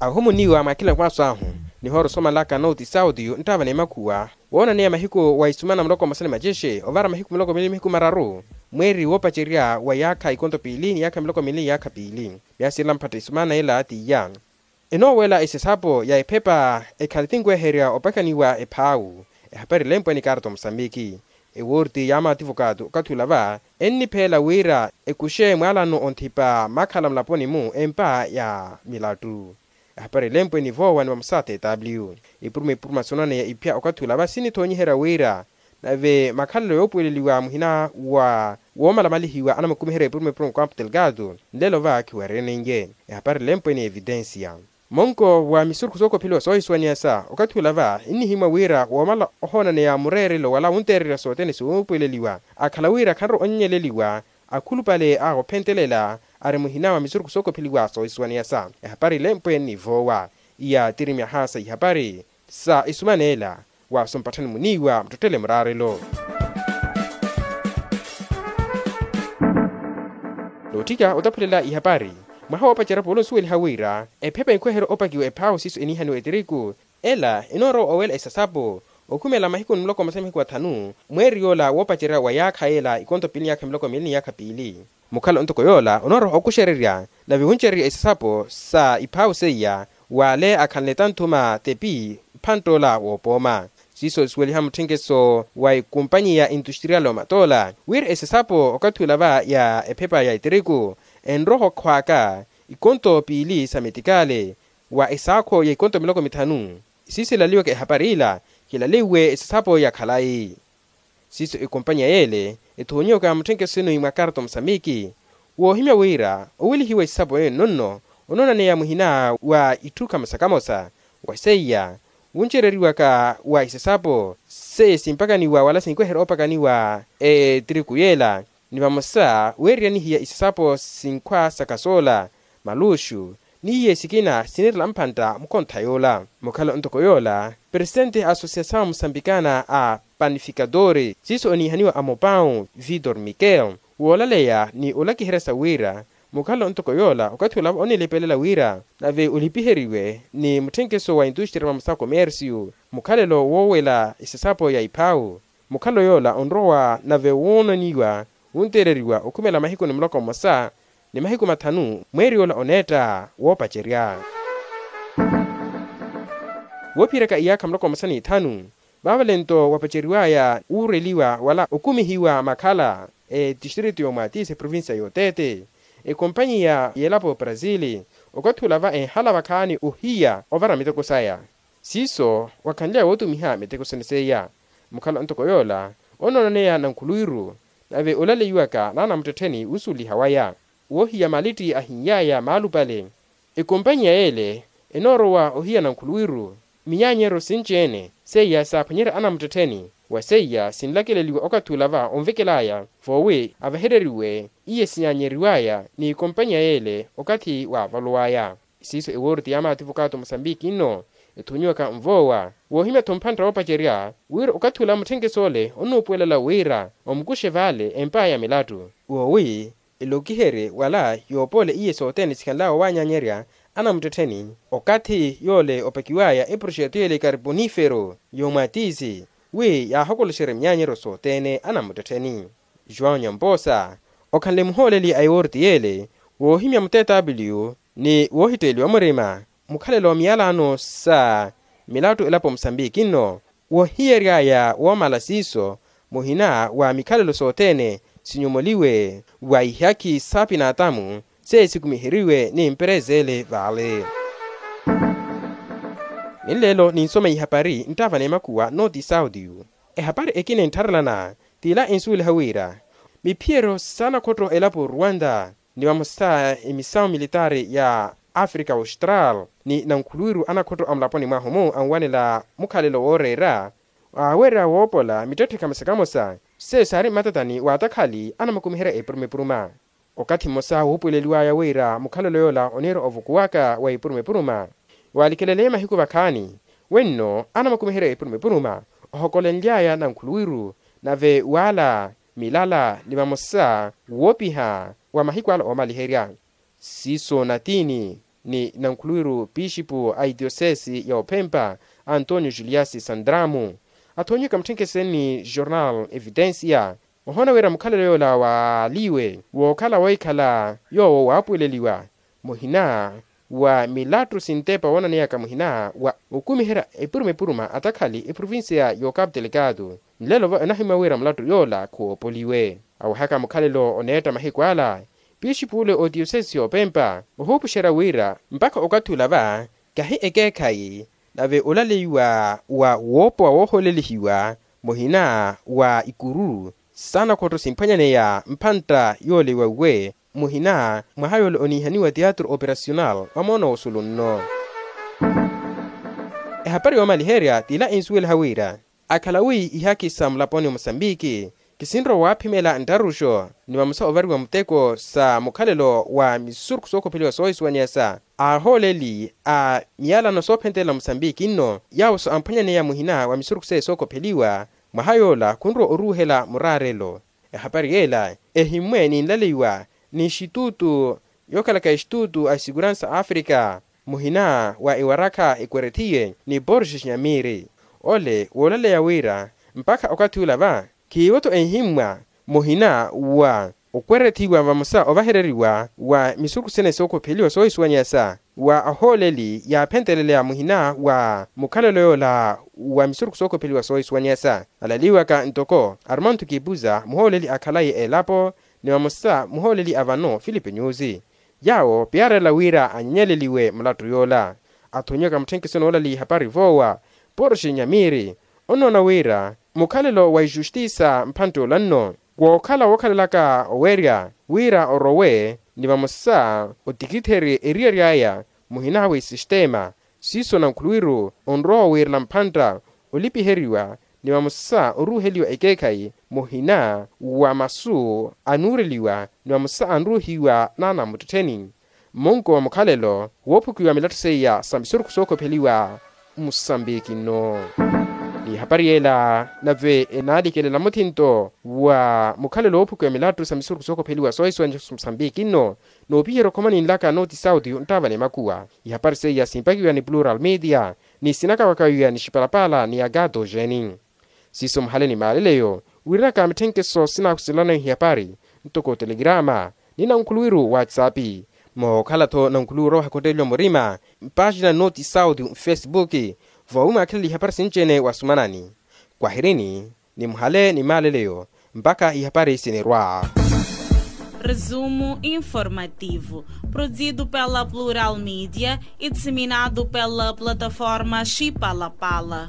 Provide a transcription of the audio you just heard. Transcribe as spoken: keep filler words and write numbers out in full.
Ahumuniwa mwakhila mwaaso ahu, nihoora osomalaka nooti sauti nttaava n'emakhuwa woonaneya mahiku wa isumana muloko mmosa ni macexe ovara mahiku muloko miili mihiku mararu, mweeri woopacerya wa yaakha ikonto piili ni yaakha miloko miili ni yaakha piili. Myaasi ela mphatta isumana ela t'iya enoowela esesapo ya ephepa ekhale tinkweherya opakaniwa ephaawu. Ehapari elempwe ni karto musambiki ewoorti ya maativokaatu okathi ula va ennipheela wira ekuxe mwaalano onthipa makhala mulaponi-mu empa ya milattu. Ehapari elempwe ni voowa ni vamosa tw ipuruma ipuruma soonaneya iphya okathi ula va sinithoonyiherya wira nave makhalelo yoopuweleliwa muhina wa woomalamalihiwa anamukumiherya ipuruma ipuruma okampu telgado nlelo va khiwereniye. Ehapari elempwe ni evitensiya monko wa misurukhu sookopheliwa soohisuwaniyasa okathi ula va nnihimwa wira woomala ohoonaneya mureerelo wala wunteererya sothene siwuupuweleliwa akhala wira khanrowa onnyeleliwa akhulupale a ophentelela ari muhina wa misurukhu sookopheliwa soohisuwaniyasa. Ehapari elempwe ni voowa iya tiri myaha sa ihapari sa isumaneela wa sompatthani muniiwa muttottele muraarelo. Nootthika otaphulela ihapari mwaha woopacerya polo nsuweliha wira ephepa enkweherya opakiwa ephaawu siiso eniihaniwa etiriku ela enoorowa owela esasapo okhumela mahiku ni muloko mmosa ni mahiku athanu mweeri yoola woopacerya wa yaakha yeela ikonto piili ni yaakha miloko miili ni yaakha piili. Mukhala ontoko yoola onooroha okuxererya nave wuncererya isasapo sa iphaawu seiya w'ale akhanle tanthuma tepi mphantt'ola woopooma. Siiso isuweliha mutthenkeso wa ekumpanyi ya industrial omatoola wira esasapo okathi ula va ya ephepa ya etiriku enroha okhwaaka ikonto piili sa metikale wa esaakho ya ikonto miloko mithanu. Siiso ilaliwaka ehapari ila khilaliwe esasapo ya khalayi. Siiso ekompanyiya yeele ethoonyiwaka mutthenkeso sinu mwa karto musambiki woohimya wira owelihiwa isapo ene nonno onoonaneya muhina wa itthu kamosa kamosa wa seiya wuncereriwaka wa isasapo seiya simpakaniwa wala sinkweherya oopakaniwa etiriku yeela ni vamosa weererya nihiya isasapo sinkhwa sa kasoola maluxu n'iye sikina sinirela mphantta mukontha yoola. Mukhala ontoko yoola presitenti a asosiasawu musambikana a panifikatore siiso oniihaniwa amopawu vitor mikel woolaleya ni olakiherya sa wira mukhala ontoko yoola okathi olava onnilepelela wira nave olipiheriwe ni mutthenkeso wa industria vamosa komersiyo mukhalelo woowela isasapo ya iphaawu. Mukhalelo yoola onrowa nave woonaniwa wunteereriwa okhumela mahiku ni muloko mmosa ni mahiku mathanu mweeri yoola oneetta woopacerya. Woophiyeryaka iyaakha muloko mmosa ni ithanu vaavalento wapaceriwaya wuureliwa wala okumihiwa makhala etistritu y'omwatisi eprovincia y'oteete ekompanyiya y'elapo brazil okathi ula va enhala vakhaani ohiya ovara miteko saya. Siiso wakhanly'aya wootumiha miteko sene seiya mukhala ontoko yoola onoonaneya nankhuluwiru nave olaleiwaka n'anamuttettheni wusuliha waya woohiya malitti ahin'yaya maalupale. Ekompanyiya yeele enoorowa ohiya nankhuluwiru minyaanyeryo sinci-ene seiya saaphwanyerya anamuttettheni wa seiya sinlakeleliwa okathi ula va onvekel'aya voowi avehereriwe iye sinyaanyeriw'aya ni ekompanyiya yeele okathi waavaluw'aya. Siiso ewoorti ya maativokato musambiki nno ethoonyiwaka nvoowa woohimya-tho mphantta woopacerya wira okathi ula mutthenkeso ole onnuupuwelela wira omukuxe vale empa ya milattu woowi elokiherye wala yoopoola iye sothene sikhanl'awe owaanyanyerya anamuttettheni okathi yoole opakiw'aya eproxeto yeele karibonifero y'omwatisi wi yaahokoloxerye minyaanyeryo sothene anamuttettheni. João nyamposa okhanle muhooleli a ewoorti yeele woohimya mutetaapiliyu ni woohitteeliwa murima mukhalelo wa miyalaano sa milattu elapo musambiki nno wohiyery'aya woomala siiso muhina wa mikhalelo sothene sinyomoliwe wa ihakhi sa pinaatamu seiya sikumiheriwe ni mperezele vale. Ninleelo ninsoma ihapari nttaava n'emakhuwa nooti saudiyu. Ehapari ekina enttharelana t'ila ensuweliha wira miphiyeryo s'anakhotto elapo ruwanda ni vamosa emisawu militaari ya afrika austral ni nankhuluwiru anakhotto a mulaponi mwahu-mu anwanela mukhalelo wooreera aawerya woopola mittetthe kamosa kamosa seiyo saari mmatatani w'atakhali anamukumiherya epuruma epuruma. Okathi mmosa wuupuweleliw'aya wira mukhalelo yoola oniira ovukuwaka wa epuruma epuruma waalikeleleye mahiku vakhaani wenno anamukumiherya epuruma epuruma ohokolenly'aya nankhuluwiru nave w'ala milala ni vamosa woopiha wa mahiku ala oomaliherya siiso natiini ni nankhuluwiru pixipu a itiosesi ya ophempa antonio juliasi sandramu. Athoonyeka mutthenkeseni ni jornal evidencia ohoona wira mukhalelo yoola waaliwe wookhala wohikhala yoowo waapuweleliwa muhina wa milattu sintepa woonaneyaka muhina wa okumiherya epuruma epuruma atakhali eprovincia y'okapu telekatu. Nlelo va onahimya wira mulattu yoola khuwoopoliwe awehaka mukhalelo oneetta mahiku ala. Pixipu ole otiyosesi yoopempa ohuupuxerya wira mpakha okathi ula va kahi ekeekhayi nave olaleiwa wa woopowa woohoolelihiwa muhina wa ikuru saana khotto simphwanyaneya mphantta yooleiwa uwe muhina mwaha yoola oniihaniwa teatro operacional wa moono wosulu nno. Ehapari yoomaliherya t'ila ensuweliha wira akhala wi ihaki sa mulaponi wa musambiki kisinrowa waaphimela nttaruxo ni vamosa ovariwa muteko sa mukhalelo wa misurukhu sookhopheliwa soohisuwaniyasa a ahooleli a miyalano soophentelela musambiki nno yaawo so amphwanyaneya muhina wa misurukhu seye sookhopheliwa mwaha yoola khunrowa oruuhela muraarelo. Ehapari yeela ehimmwe ni nlaleiwa ni exitutu yookhalaka exitutu a esikuransa afrika muhina wa ewarakha ekwerethiye ni borges nyamiri ole woolaleya wira mpakha okathi ula va khiivo-tho enhimmwa muhina wa okwerethiwa vamosa ovahereriwa wa misurukhu sene sookhopheliwa soohisuwaniyasa wa ahooleli yaaphenteleleya muhina wa mukhalelo yoola wa misurukhu sookhopheliwa soohisuwaniyasa alaliwaka ntoko armando kipuza muhooleli akhalaye elapo ni vamosa muhooleli a vano filipe nyusi yaawo piyaarela wira anyanyeleliwe mulattu yoola. Athonyaka mutthenkiso noolali hapari voowa poroshe nyamiri onoona wira mukhalelo wa ijustisa mphantte olanno wookhala wookhalelaka owerya wira orowe ni vamosa otikitherye eriyari aya muhina wa isistema siiso nankhuluwiru onrowa owiirela mphantta olipiheriwa ni vamosa oruuheliwa ekeekhayi muhina wa masu anuureliwa ni vamosa anruuhiwa naana muttettheni mmunko wa mukhalelo woophukiwa milattho seiya sa misurukhu sookhopheliwa musambiki nno. Ni hapari yeela nave enaalikelela muthinto wa mukhalelo woophukiwa milattho sa misurukhu sookhopheliwa soohisuwanya musambiki nno noopiherya okhoma ninlaka noti sauti nttaava ni makuwa. Ihapari seiya simpakiwa ni plural media ni sinakawakawiwa ni xipalapala ni agato jeni siiso muhale ni maaleleyo wirinaka mitthenkeso sinaakuselana ihapari ntoko telegrama ni nankhuluwiru whatsapp mookhala-tho nankhuluwiru owaha khotteleliwa murima mpaaxina noti sauti mfesipuki vowi mwaakhilele ihapari sinci-ene wasumanani kwahirini ni muhale ni maaleleyo mpakha ihapari sinirwa. Resumo informativo, produzido pela plural media e disseminado pela plataforma xipalapala.